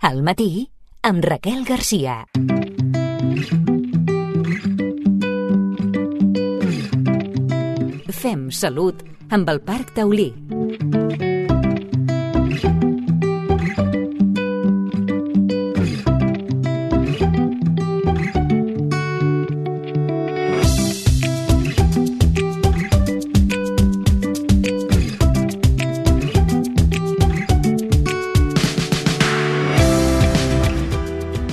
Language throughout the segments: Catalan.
Al matí, amb Raquel Garcia. Fem salut amb el Parc Taulí.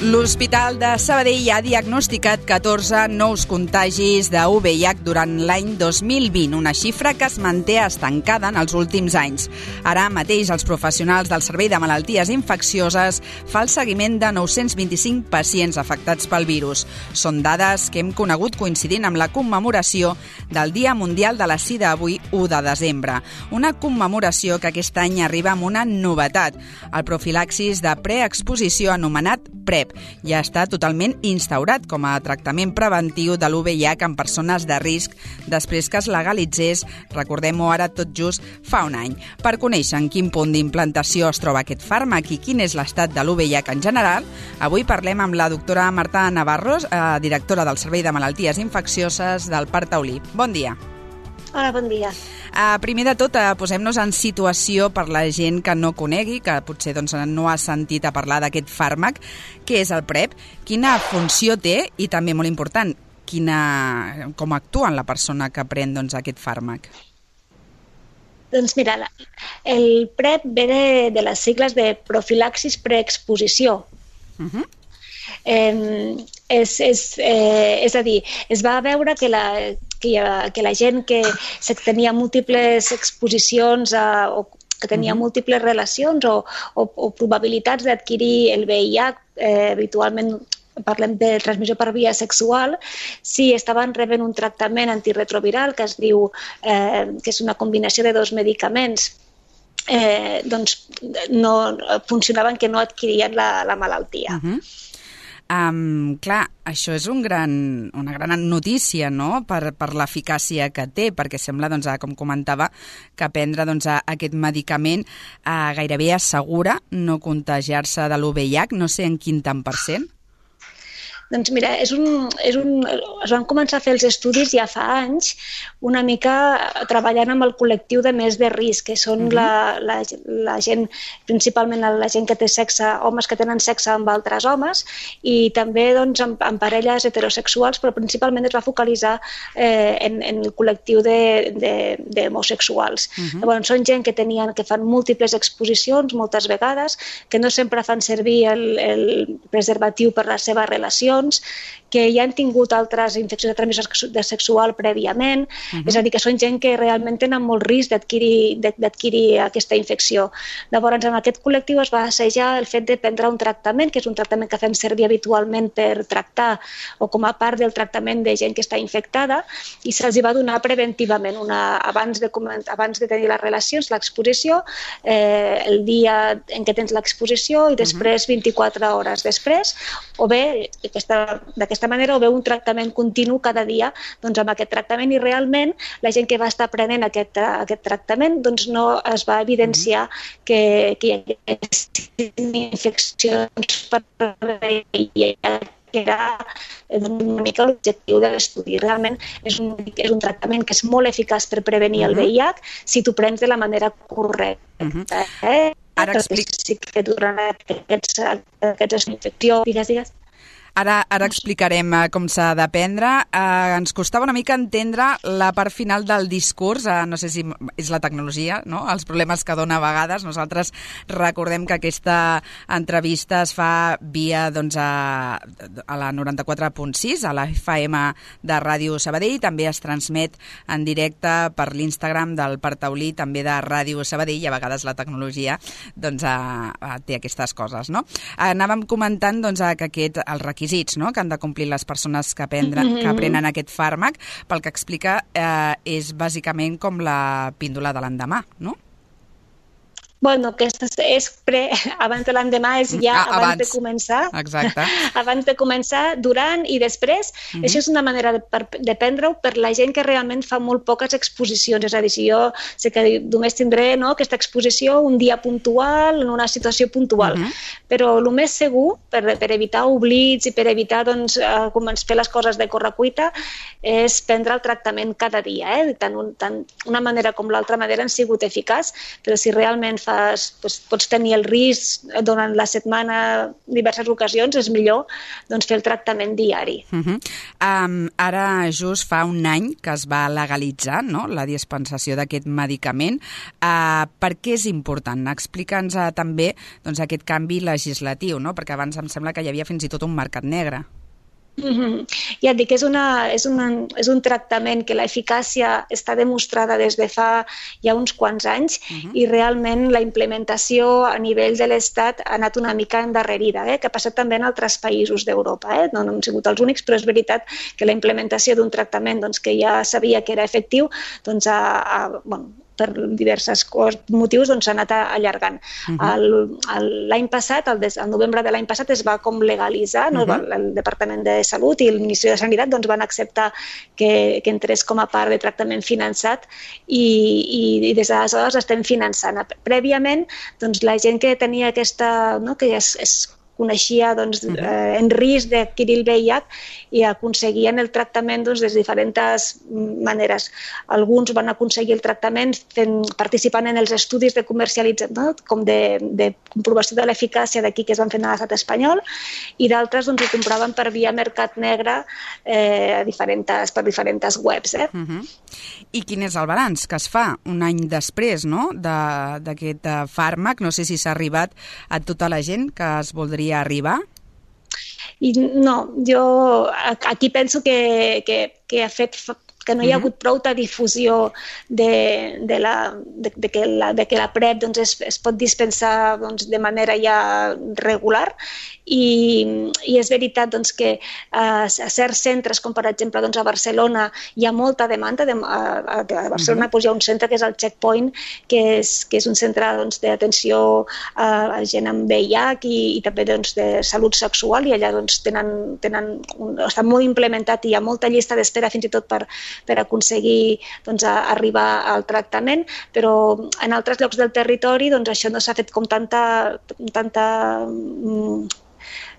L'Hospital de Sabadell ha diagnosticat 14 nous contagis de VIH durant l'any 2020, una xifra que es manté estancada en els últims anys. Ara mateix els professionals del Servei de Malalties Infeccioses fan el seguiment de 925 pacients afectats pel virus. Són dades que hem conegut coincidint amb la commemoració del Dia Mundial de la Sida avui 1 de desembre. Una commemoració que aquest any arriba amb una novetat, el profilaxis de preexposició anomenat PrEP. Ja està totalment instaurat com a tractament preventiu de l'VIH en persones de risc després que es legalitzés, recordem-ho ara tot just fa un any. Per conèixer en quin punt d'implantació es troba aquest fàrmac i quin és l'estat de l'VIH en general, avui parlem amb la doctora Marta Navarros, directora del Servei de Malalties Infeccioses del Parc Taulí. Bon dia. Hola, bon dia. Primer de tot, posem-nos en situació per la gent que no conegui, que potser no ha sentit a parlar d'aquest fàrmac. Què és el PrEP? Quina funció té? I també, molt important, com actua en la persona que pren aquest fàrmac? Doncs mira, el PrEP ve de les sigles de profilaxis preexposició. És a dir, es va veure que la gent que tenia múltiples exposicions o que tenia múltiples relacions o probabilitats d'adquirir el VIH, habitualment parlem de transmissió per via sexual, si estaven rebent un tractament antirretroviral que es diu que és una combinació de dos medicaments, doncs no funcionaven, que no adquirien la malaltia. Clar, això és una gran notícia, no?, per l'eficàcia que té, perquè sembla, com comentava, que prendre aquest medicament gairebé assegura no contagiar-se de l'VIH, no sé en quin tant per cent. Doncs mira, es van començar a fer els estudis ja fa anys, una mica treballant amb el col·lectiu de més de risc, que són la gent, principalment la gent que té sexe, homes que tenen sexe amb altres homes, i també amb parelles heterosexuals, però principalment es va focalitzar en el col·lectiu d'homosexuals. Llavors, són gent que fan múltiples exposicions, moltes vegades, que no sempre fan servir el preservatiu per la seva relació, que ja han tingut altres infeccions de transmissió sexual prèviament, és a dir, que són gent que realment tenen molt risc d'adquirir aquesta infecció. Llavors, en aquest col·lectiu es va assajar el fet de prendre un tractament, que és un tractament que fem servir habitualment per tractar o com a part del tractament de gent que està infectada, i se'ls va donar preventivament, abans de tenir les relacions, l'exposició, el dia en què tens l'exposició i després 24 hores després, o bé d'aquesta manera, o bé un tractament continu cada dia amb aquest tractament, i realment la gent que va estar prenent aquest tractament no es va evidenciar que hi haguessin infeccions per VIH, que era una mica l'objectiu de l'estudi. Realment és un tractament que és molt eficaç per prevenir el VIH si t'ho prens de la manera correcta. Ara explic... que durant aquestes infeccions... Digues. Ara explicarem com s'ha de prendre. Ens costava una mica entendre la part final del discurs, no sé si és la tecnologia, no?, els problemes que dona a vegades. Nosaltres recordem que aquesta entrevista es fa via a la 94.6, a la FM de Ràdio Sabadell, també es transmet en directe per l'Instagram del Parc Taulí, també de Ràdio Sabadell, i a vegades la tecnologia té aquestes coses, no? Anàvem comentant que els requisits, no?, que han de complir les persones que prenen aquest fàrmac, pel que explica, és bàsicament com la píndola de l'endemà, no? Bueno, aquesta és abans de l'endemà, és ja abans de començar. Exacte. Abans de començar, durant i després. Això és una manera de prendre-ho per la gent que realment fa molt poques exposicions. És a dir, si jo sé que només tindré aquesta exposició un dia puntual, en una situació puntual. Però el més segur, per evitar oblits i per evitar fer les coses de correcuita, és prendre el tractament cada dia. Tant una manera com l'altra manera han sigut eficaç, però si realment pots tenir el risc durant la setmana diverses ocasions, és millor fer el tractament diari. Ara just fa un any que es va legalitzar la dispensació d'aquest medicament. Per què és important? Explica'ns també aquest canvi legislatiu, perquè abans em sembla que hi havia fins i tot un mercat negre. Ja et dic, és un tractament que l'eficàcia està demostrada des de fa ja uns quants anys i realment la implementació a nivell de l'Estat ha anat una mica endarrerida, que ha passat també en altres països d'Europa. No han sigut els únics, però és veritat que la implementació d'un tractament que ja sabia que era efectiu, per diversos motius s'ha anat allargant. L'any passat, el novembre de l'any passat, es va com legalitzar, el Departament de Salut i el Ministeri de Sanitat van acceptar que entrés com a part de tractament finançat i des d'aleshores estem finançant. Prèviament, la gent que tenia aquesta, que ja es coneixia en risc d'adquirir el VIH i aconseguien el tractament de diferents maneres. Alguns van aconseguir el tractament participant en els estudis de comercialització, com de comprovació de l'eficàcia d'aquí que es van fer a l'estat espanyol, i d'altres ho compraven per via mercat negre per diferents webs. I quin és el balanç que es fa un any després d'aquest fàrmac? No sé si s'ha arribat a tota la gent que es voldria arribar? No, jo aquí penso que ha fet que no hi ha hagut prou difusió de que la PrEP es pot dispensar de manera ja regular i és veritat que a certs centres, com per exemple a Barcelona, hi ha molta demanda. A Barcelona hi ha un centre que és el Checkpoint, que és un centre d'atenció a gent amb VIH i també de salut sexual, i allà està molt implementat i hi ha molta llista d'espera fins i tot per aconseguir arribar al tractament, però en altres llocs del territori això no s'ha fet com tanta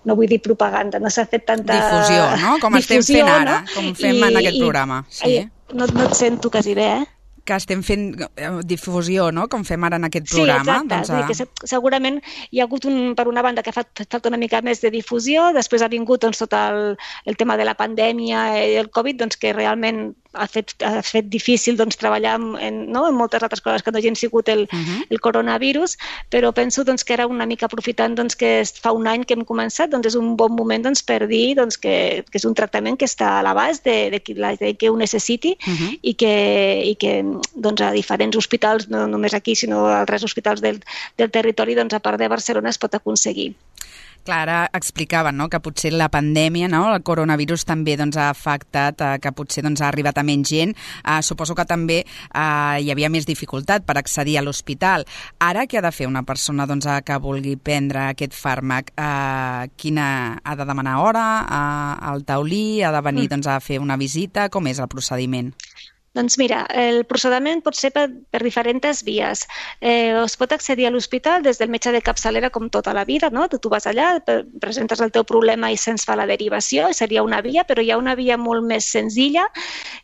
no vull dir propaganda, no s'ha fet tanta difusió, no? Com estem fent ara, com fem en aquest programa. No et sento quasi bé, que estem fent difusió, no?, com fem ara en aquest programa. Sí, exacte. Que segurament hi ha hagut, per una banda, que ha faltat una mica més de difusió, després ha vingut tot el tema de la pandèmia i el Covid, que realment ha fet difícil treballar en moltes altres coses que no hagin sigut el coronavirus, però penso que era una mica aprofitant que fa un any que hem començat, és un bon moment per dir que és un tractament que està a l'abast de qui ho necessiti i que a diferents hospitals, no només aquí, sinó a altres hospitals del territori, a part de Barcelona, es pot aconseguir. Clar, ara explicaven que potser la pandèmia, el coronavirus també ha afectat, que potser ha arribat a menys gent. Suposo que també hi havia més dificultat per accedir a l'hospital. Ara, què ha de fer una persona que vulgui prendre aquest fàrmac? Quina ha de demanar hora al taulí? Ha de venir a fer una visita? Com és el procediment? Doncs mira, el procediment pot ser per diferents vies. Es pot accedir a l'hospital des del metge de capçalera com tota la vida, no? Tu vas allà, presentes el teu problema i se'ns fa la derivació, seria una via, però hi ha una via molt més senzilla,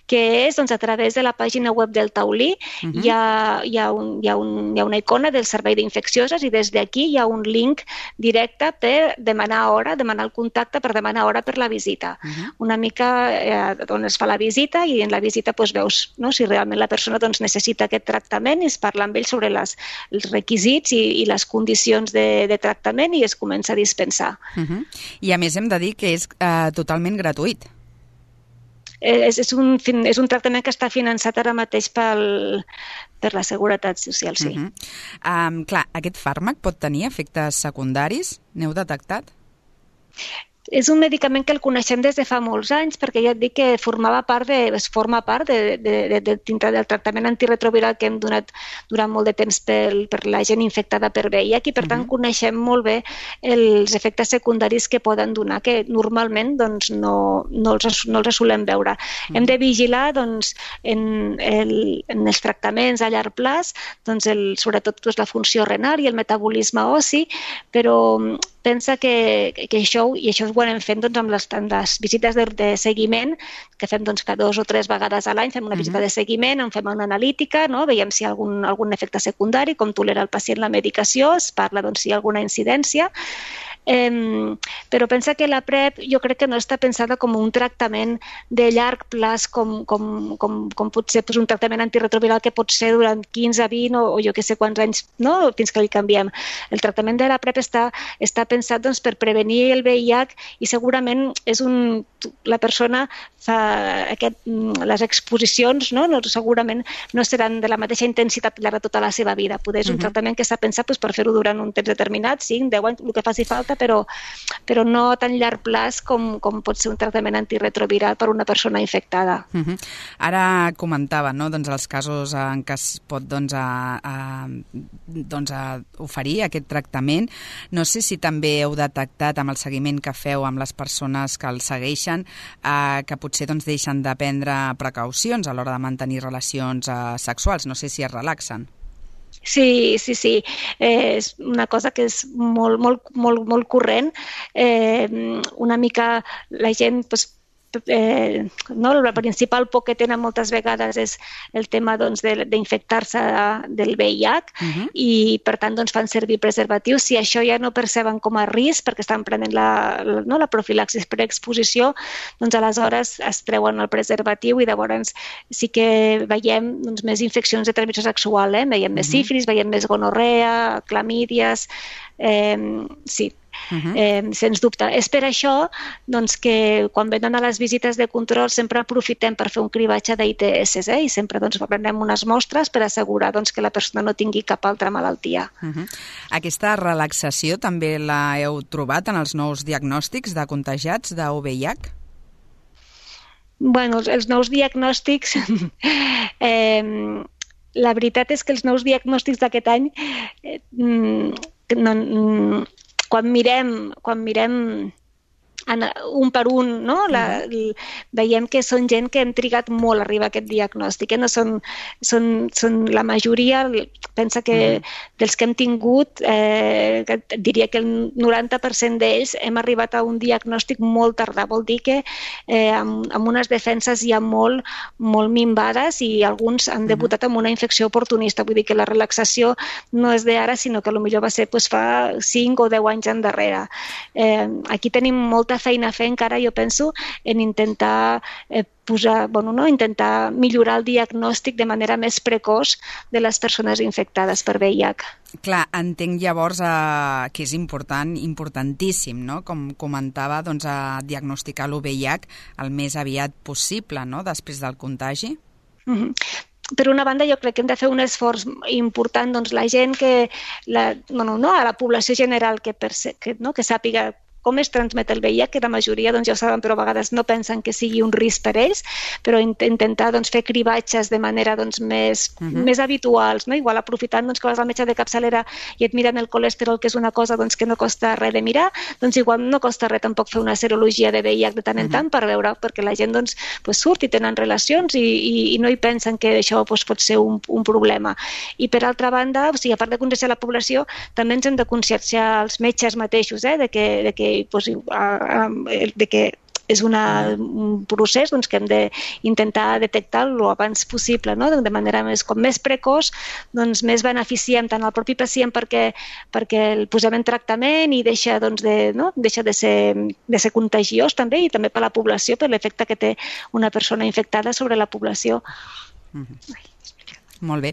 que és a través de la pàgina web del taulí. Hi ha una icona del servei d'infeccioses i des d'aquí hi ha un link directe per demanar hora, demanar el contacte per demanar hora per la visita. Una mica on es fa la visita i en la visita veus si realment la persona necessita aquest tractament i es parla amb ell sobre els requisits i les condicions de tractament i es comença a dispensar. I a més hem de dir que és totalment gratuït. És un tractament que està finançat ara mateix per la Seguretat Social, sí. Clar, aquest fàrmac pot tenir efectes secundaris? N'heu detectat? És un medicament que el coneixem des de fa molts anys, perquè ja et dic que es forma part dintre del tractament antiretroviral que hem donat durant molt de temps per la gent infectada per VIH i per tant coneixem molt bé els efectes secundaris que poden donar, que normalment doncs, no els solem veure. Hem de vigilar doncs, en els tractaments a llarg plaç, doncs, sobretot la funció renal i el metabolisme ossi, però pensa que això, i això ho anem fent doncs, amb les visites de seguiment, que fem doncs, cada 2 o 3 vegades a l'any, fem una visita de seguiment, en fem una analítica, no? Veiem si hi ha algun efecte secundari, com tolera el pacient la medicació, es parla doncs, si hi ha alguna incidència, però pensa que la PrEP jo crec que no està pensada com un tractament de llarg plaç com pot ser un tractament antiretroviral que pot ser durant 15, 20 o jo que sé quants anys, no? Fins que li canviem. El tractament de la PrEP està pensat doncs, per prevenir el VIH i segurament la persona fa les exposicions, no? Segurament no seran de la mateixa intensitat llarg de tota la seva vida. Poder és un tractament que està pensat doncs, per fer-ho durant un temps determinat, 5, 10 anys, el que faci falta, però no a tan llarg plaç com pot ser un tractament antiretroviral per una persona infectada. Ara comentava, no? Doncs els casos en què es pot oferir aquest tractament. No sé si també heu detectat amb el seguiment que feu amb les persones que el segueixen que potser deixen de prendre precaucions a l'hora de mantenir relacions sexuals. No sé si es relaxen. Sí. És una cosa que és molt corrent. Una mica la gent... El principal por que tenen moltes vegades és el tema d'infectar-se del VIH i per tant fan servir preservatius. Si això ja no perceben com a risc perquè estan prenent la profilaxis per exposició, doncs aleshores es treuen el preservatiu i llavors sí que veiem més infeccions de transmissió sexual, veiem més sífilis, veiem més gonorrea, clamídies, sí. Sens dubte. És per això que quan venen a les visites de control sempre aprofitem per fer un cribatge d'ITS i sempre prenem unes mostres per assegurar que la persona no tingui cap altra malaltia. Aquesta relaxació també la heu trobat en els nous diagnòstics de contagiats de VIH? Bueno, els nous diagnòstics... La veritat és que els nous diagnòstics d'aquest any quan mirem un per un, no? Veiem que són gent que hem trigat molt a arribar a aquest diagnòstic. No són la majoria, pensa que dels que hem tingut, diria que el 90% d'ells hem arribat a un diagnòstic molt tardà. Vol dir que amb unes defenses ja molt minvades i alguns han debutat amb una infecció oportunista. Vull dir que la relaxació no és d'ara, sinó que potser va ser fa 5 o 10 anys endarrere. Aquí tenim molta feina a fer encara, jo penso, en intentar intentar millorar el diagnòstic de manera més precoç de les persones infectades per VIH. Clar, entenc llavors que és importantíssim, no? Com comentava, diagnosticar el VIH el més aviat possible, no? Després del contagi. Per una banda, jo crec que hem de fer un esforç important, la gent a la població general que sàpiga com es transmet el VIH, que la majoria ja ho saben, però a vegades no pensen que sigui un risc per ells, però intentar fer cribatges de manera més habituals, no? Igual aprofitant que vas al metge de capçalera i et miren el colesterol, que és una cosa que no costa res de mirar, igual no costa res tampoc fer una serologia de VIH de tant en tant per veure, perquè la gent surt i tenen relacions i no hi pensen que això pot ser un problema. I per altra banda, a part de conscienciar la població, també ens hem de conscienciar els metges mateixos de que és un procés que hem d'intentar detectar-lo abans possible, no? De manera més precoç, més beneficiem tant al propi pacient perquè el posem en tractament i deixa de ser contagiós també, i també per la població, per l'efecte que té una persona infectada sobre la població. Molt bé.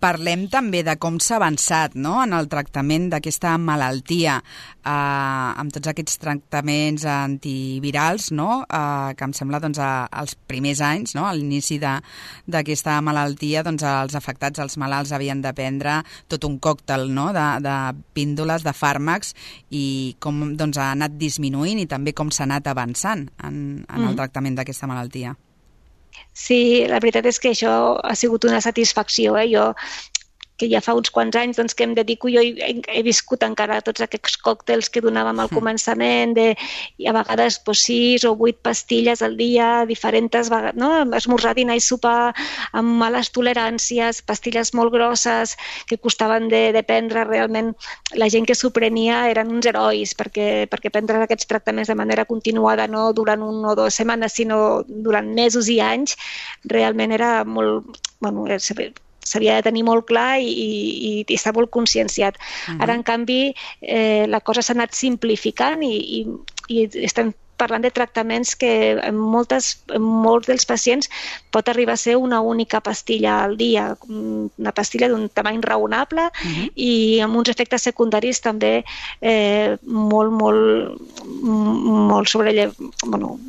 Parlem també de com s'ha avançat, no?, en el tractament d'aquesta malaltia, amb tots aquests tractaments antivirals, no?, que em sembla doncs, als primers anys, no?, a l'inici d'aquesta malaltia, doncs, els afectats, els malalts, havien de prendre tot un còctel, no?, de píndoles, de fàrmacs, i com doncs, ha anat disminuint i també com s'ha anat avançant en el tractament d'aquesta malaltia. Sí, la veritat és que això ha sigut una satisfacció. Jo, que ja fa uns quants anys doncs, que em dedico, jo he viscut encara tots aquests còctels que donàvem al començament, i a vegades 6 o 8 pastilles al dia, diferents vegades, no? Esmorzar, dinar i sopar amb males toleràncies, pastilles molt grosses que costaven de prendre. Realment la gent que s'ho prenia eren uns herois, perquè prendre aquests tractaments de manera continuada, no durant 1 o 2 setmanes, sinó durant mesos i anys, realment era molt... s'havia de tenir molt clar i estar molt conscienciat. Ara, en canvi, la cosa s'ha anat simplificant i estem parlant de tractaments que en molts dels pacients pot arribar a ser una única pastilla al dia, una pastilla d'un tamany raonable i amb uns efectes secundaris també molt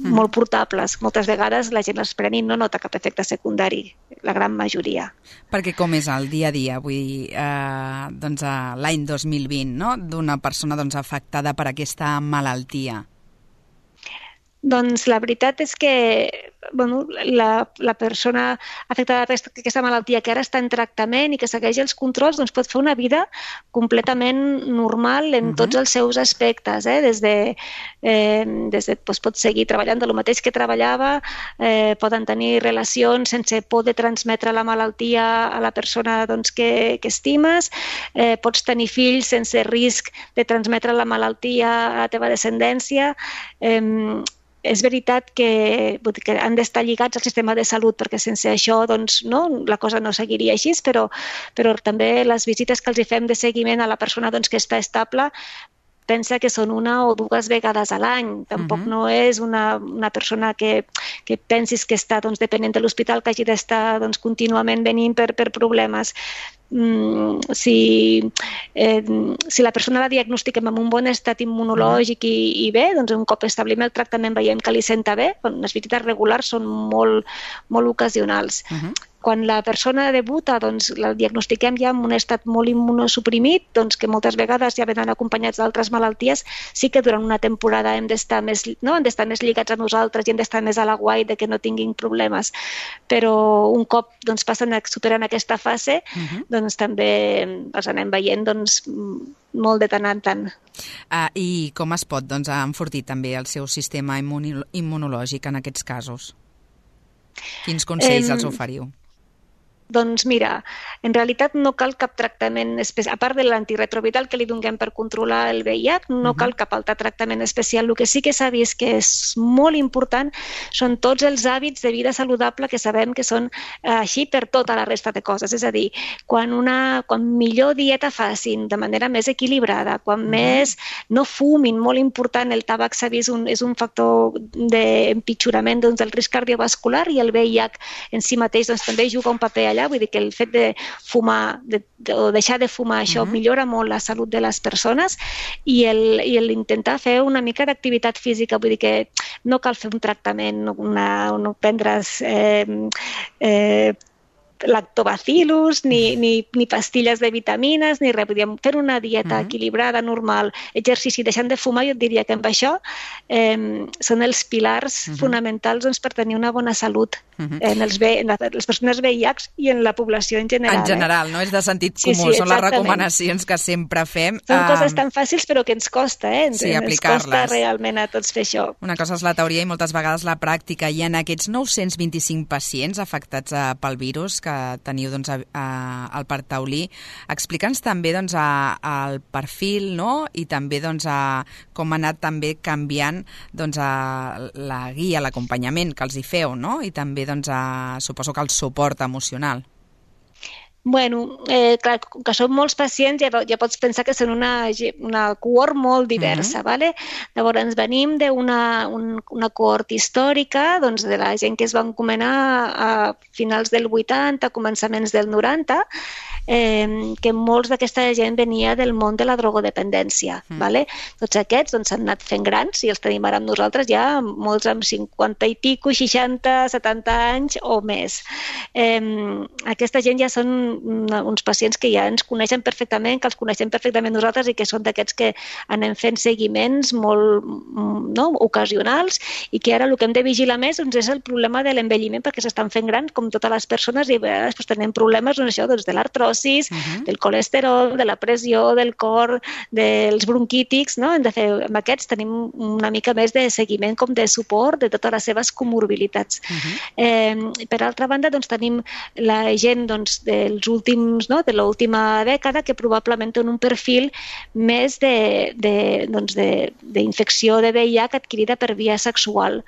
molt portables. Moltes vegades la gent les pren i no nota cap efecte secundari, la gran majoria. Perquè com és el dia a dia, vull dir, doncs l'any 2020, no?, d'una persona doncs, afectada per aquesta malaltia? Doncs la veritat és que la persona afectada per aquesta malaltia que ara està en tractament i que segueix els controls doncs pot fer una vida completament normal en tots els seus aspectes. Pot seguir treballant del mateix que treballava, poden tenir relacions sense por de transmetre la malaltia a la persona doncs, que estimes, pots tenir fills sense risc de transmetre la malaltia a la teva descendència. És veritat que han d'estar lligats al sistema de salut, perquè sense això doncs, no, la cosa no seguiria així, però també les visites que els fem de seguiment a la persona doncs, que està estable, pensa que són 1 o 2 vegades a l'any. Tampoc no és una persona que pensis que està doncs, depenent de l'hospital, que hagi d'estar doncs, contínuament venint per problemes. Si la persona la diagnostiquem amb un bon estat immunològic i bé, doncs un cop establim el tractament veiem que li senta bé, les visites regulars són molt ocasionals. Quan la persona debuta, doncs la diagnostiquem ja amb un estat molt immunosuprimit, doncs que moltes vegades ja venen acompanyats d'altres malalties, sí que durant una temporada hem d'estar més lligats a nosaltres i hem d'estar més a la guai de que no tinguin problemes. Però un cop doncs, superen aquesta fase, doncs també els anem veient doncs, molt de tant en tant. I com es pot doncs, enfortir també el seu sistema immunològic en aquests casos? Quins consells els oferiu? Doncs mira, en realitat no cal cap tractament especial, a part de l'antiretroviral que li donem per controlar el VIH, no cal cap altre tractament especial. El que sí que s'ha vist que és molt important són tots els hàbits de vida saludable que sabem que són així per tota la resta de coses. És a dir, quan millor dieta facin, de manera més equilibrada, quan més no fumin, molt important, el tabac s'ha vist és un factor d'empitjorament del risc cardiovascular i el VIH en si mateix també juga un paper allà. Vull dir que el fet de fumar o deixar de fumar, això millora molt la salut de les persones i l'intentar fer una mica d'activitat física. Vull dir que no cal fer un tractament, no prendre's lactobacillus, ni pastilles de vitamines, ni res. Podríem fer una dieta equilibrada, normal, exercici, deixant de fumar. Jo et diria que amb això són els pilars fonamentals doncs, per tenir una bona salut en les persones VIH i en la població en general. En general, no? És de sentit comú, són les recomanacions que sempre fem. Són coses tan fàcils però que ens costa, Sí, aplicar-les. Ens costa realment a tots fer això. Una cosa és la teoria i moltes vegades la pràctica. I en aquests 925 pacients afectats pel virus que teniu doncs, al Parc Taulí, explica'ns també doncs, el perfil, no? I també doncs, com ha anat també canviant doncs, la guia, l'acompanyament que els hi feu, no? I també doncs, suposo que el suport emocional. Bueno, clar, com que són molts pacients, ja pots pensar que són una cohort molt diversa, ¿vale? Llavors, venim d'una cohort històrica, doncs, de la gent que es va encomanar a finals del 80, començaments del 90, que molts d'aquesta gent venia del món de la drogodependència, ¿vale? Tots aquests doncs, s'han anat fent grans i els tenim ara amb nosaltres ja, molts amb 50 i pico, 60, 70 anys o més. Aquesta gent ja són uns pacients que ja ens coneixen perfectament, que els coneixem perfectament nosaltres i que són d'aquests que anem fent seguiments molt ocasionals i que ara el que hem de vigilar més doncs, és el problema de l'envelliment perquè s'estan fent grans com totes les persones i a vegades doncs, tenim problemes de l'artrosis, del colesterol, de la pressió, del cor, dels bronquítics, no? Hem de fer, amb aquests tenim una mica més de seguiment com de suport de totes les seves comorbilitats. Per altra banda, doncs, tenim la gent doncs, dels últims, de l'última dècada que probablement té un perfil més d'infecció de VIH adquirida per via sexual.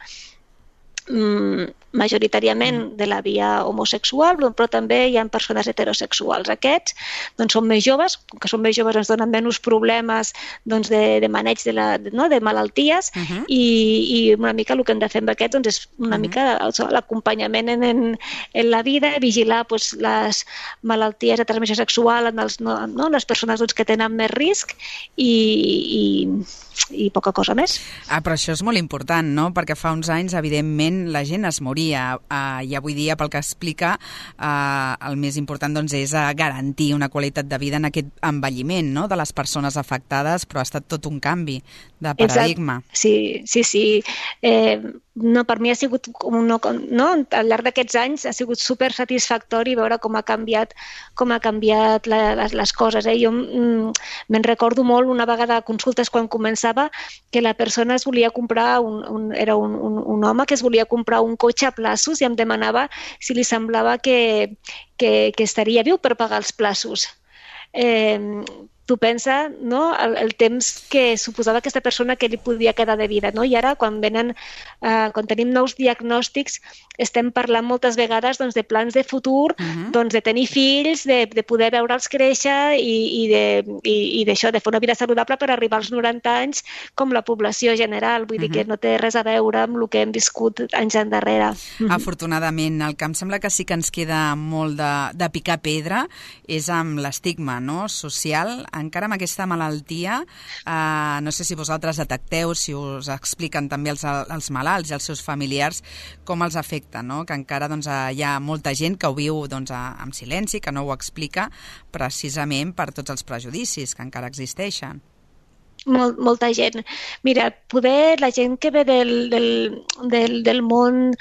Majoritàriament de la via homosexual, però també hi ha persones heterosexuals. Aquests doncs, són més joves, com que són més joves ens donen menys problemes doncs, de maneig de malalties i una mica el que hem de fer amb aquests doncs, és una mica l'acompanyament en la vida, vigilar doncs, les malalties de transmissió sexual en les persones doncs, que tenen més risc i poca cosa més. Però això és molt important, no? Perquè fa uns anys, evidentment, la gent es moria. I avui dia, pel que explica, el més important doncs, és garantir una qualitat de vida en aquest envelliment, no? De les persones afectades, però ha estat tot un canvi de paradigma. Exacte. Sí. Per mi ha sigut, al llarg d'aquests anys, ha sigut super satisfactori veure com ha canviat les coses. Jo me'n recordo molt una vegada a consultes quan començava que la persona es volia comprar, era un home que es volia comprar un cotxe a plaços i em demanava si li semblava que estaria viu per pagar els plaços. Tu pensa, no?, el temps que suposava aquesta persona que li podia quedar de vida, no? I ara, quan tenim nous diagnòstics, estem parlant moltes vegades doncs, de plans de futur, doncs, de tenir fills, de poder veure'ls créixer i d'això, de fer una vida saludable per arribar als 90 anys com la població general. Vull dir que no té res a veure amb el que hem viscut anys endarrere. Afortunadament, el que em sembla que sí que ens queda molt de picar pedra és amb l'estigma, no?, social. Encara amb aquesta malaltia, no sé si vosaltres detecteu, si us expliquen també els malalts i els seus familiars com els afecta, no? Que encara doncs, hi ha molta gent que ho viu doncs, amb silenci, que no ho explica precisament per tots els prejudicis que encara existeixen. Molta gent. Mira, poder la gent que ve del món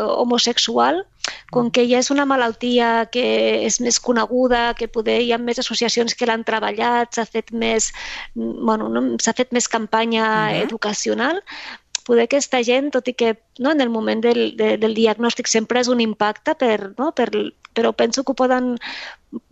homosexual, com que ja és una malaltia que és més coneguda, que poder hi ha més associacions que l'han treballat, s'ha fet més campanya educacional, poder aquesta gent, tot i que en el moment del diagnòstic sempre és un impacte, però penso que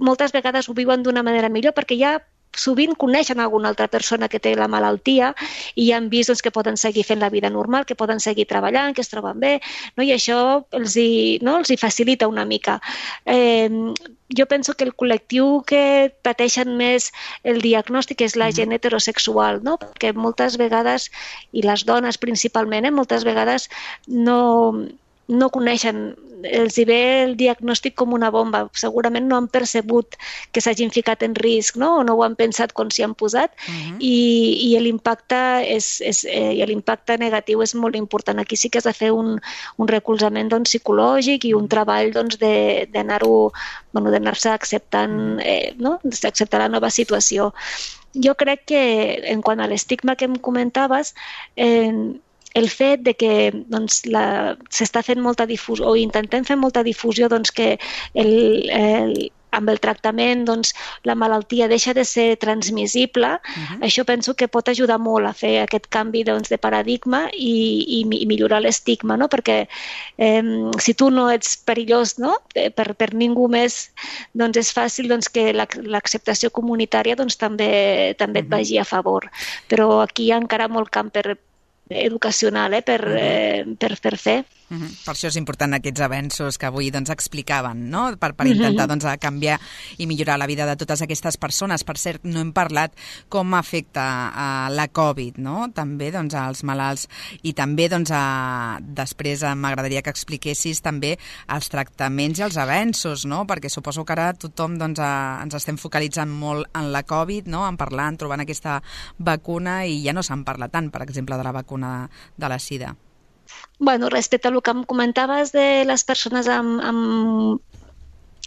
moltes vegades ho viuen d'una manera millor, perquè ja sovint coneixen alguna altra persona que té la malaltia i ja han vist doncs, que poden seguir fent la vida normal, que poden seguir treballant, que es troben bé, no? I això els hi facilita una mica. Jo penso que el col·lectiu que pateixen més el diagnòstic és la gent heterosexual, no? Perquè moltes vegades, i les dones principalment, moltes vegades no coneixen, els hi ve el diagnòstic com una bomba. Segurament no han percebut que s'hagin ficat en risc, no? O no ho han pensat quan s'hi han posat i l'impacte negatiu és molt important. Aquí sí que has de fer un recolzament psicològic i un treball d'anar-se acceptant, d'acceptar la nova situació. Jo crec que, en quant a l'estigma que em comentaves, el fet de que s'està fent molta difusió o intentem fer molta difusió que amb el tractament la malaltia deixa de ser transmissible, això penso que pot ajudar molt a fer aquest canvi de paradigma i millorar l'estigma, no? Perquè si tu no ets perillós per ningú més, és fàcil que l'acceptació comunitària també et vagi a favor. Però aquí hi ha encara molt camp educacional per fer. Per això és important aquests avenços que avui explicaven, no? Per intentar canviar i millorar la vida de totes aquestes persones. Per cert, no hem parlat com afecta la Covid, no? També als malalts i també després m'agradaria que expliquessis també els tractaments i els avenços, no? Perquè suposo que ara tothom ens estem focalitzant molt en la Covid, no? En parlar, en trobant aquesta vacuna i ja no se'n parla tant, per exemple, de la vacuna de la sida. Bueno, respecte al que em comentaves de les persones amb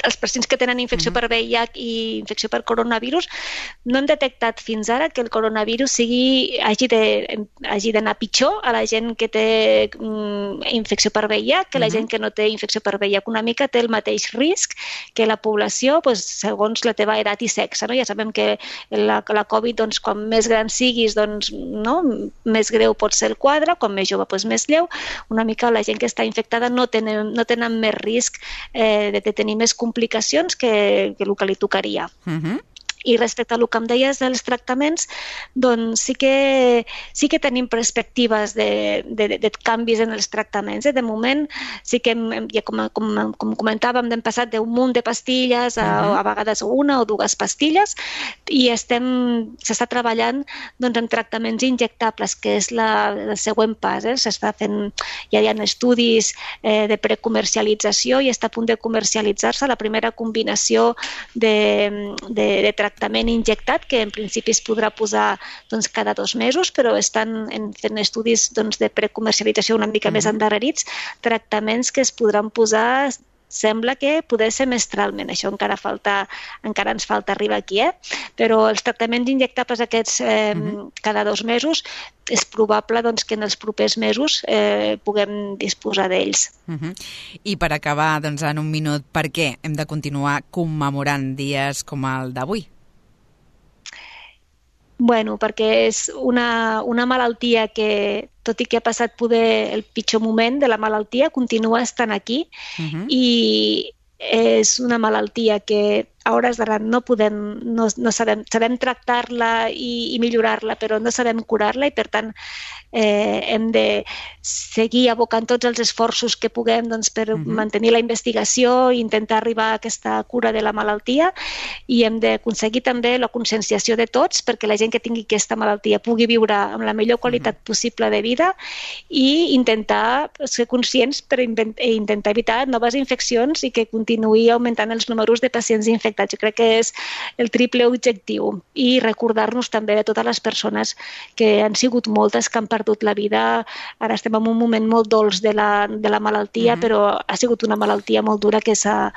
els pacients que tenen infecció per VIH i infecció per coronavirus, no hem detectat fins ara que el coronavirus hagi d'anar pitjor a la gent que té infecció per VIH que la gent que no té infecció per VIH. Una mica té el mateix risc que la població segons la teva edat i sexe. No? Ja sabem que la Covid, quan més gran siguis, més greu pot ser el quadre, quan més jove, més lleu. Una mica la gent que està infectada no tenen més risc de tenir més complicacions que el que li tocaria. I respecte a el que em deies dels tractaments, doncs sí que tenim perspectives de canvis en els tractaments. De moment, sí que, com comentàvem, hem passat d'un munt de pastilles a vegades una o dues pastilles i s'està treballant en tractaments injectables, que és el següent pas. S'està fent, ja hi ha estudis de precomercialització i està a punt de comercialitzar-se la primera combinació de tractament injectat, que en principi es podrà posar cada 2 mesos, però estan fent estudis de precomercialització una mica més endarrerits, tractaments que es podran posar, sembla que poder semestralment. Això encara ens falta arribar aquí, però els tractaments injectables aquests cada 2 mesos és probable que en els propers mesos puguem disposar d'ells. I per acabar, en un minut, per què hem de continuar commemorant dies com el d'avui? Bueno, perquè és una malaltia que, tot i que ha passat poder el pitjor moment de la malaltia, continua estant aquí i és una malaltia que a hores d'ara no sabem tractar-la i millorar-la, però no sabem curar-la i per tant hem de seguir abocant tots els esforços que puguem per mantenir la investigació i intentar arribar a aquesta cura de la malaltia, i hem d'aconseguir també la conscienciació de tots perquè la gent que tingui aquesta malaltia pugui viure amb la millor qualitat possible de vida i intentar ser conscients per intentar evitar noves infeccions i que continuï augmentant els números de pacients infectats. Jo crec que és el triple objectiu, i recordar-nos també de totes les persones que han sigut moltes que han perdut la vida. Ara estem en un moment molt dolç de la malaltia, però ha sigut una malaltia molt dura que s'ha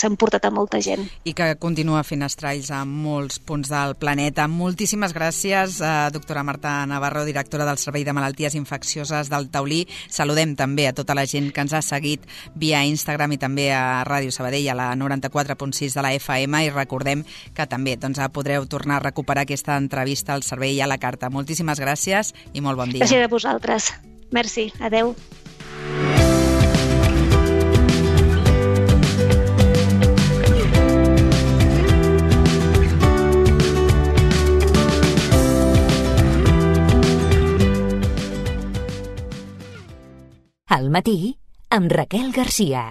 emportat a molta gent. I que continua fent estralls a molts punts del planeta. Moltíssimes gràcies, doctora Marta Navarro, directora del Servei de Malalties Infeccioses del Taulí. Saludem també a tota la gent que ens ha seguit via Instagram i també a Ràdio Sabadell, a la 94.6 de la FM, i recordem que també podreu tornar a recuperar aquesta entrevista al servei a la carta. Moltíssimes gràcies i molt bon dia. Gràcies a vosaltres. Merci. Adeu. Al matí, amb Raquel Garcia.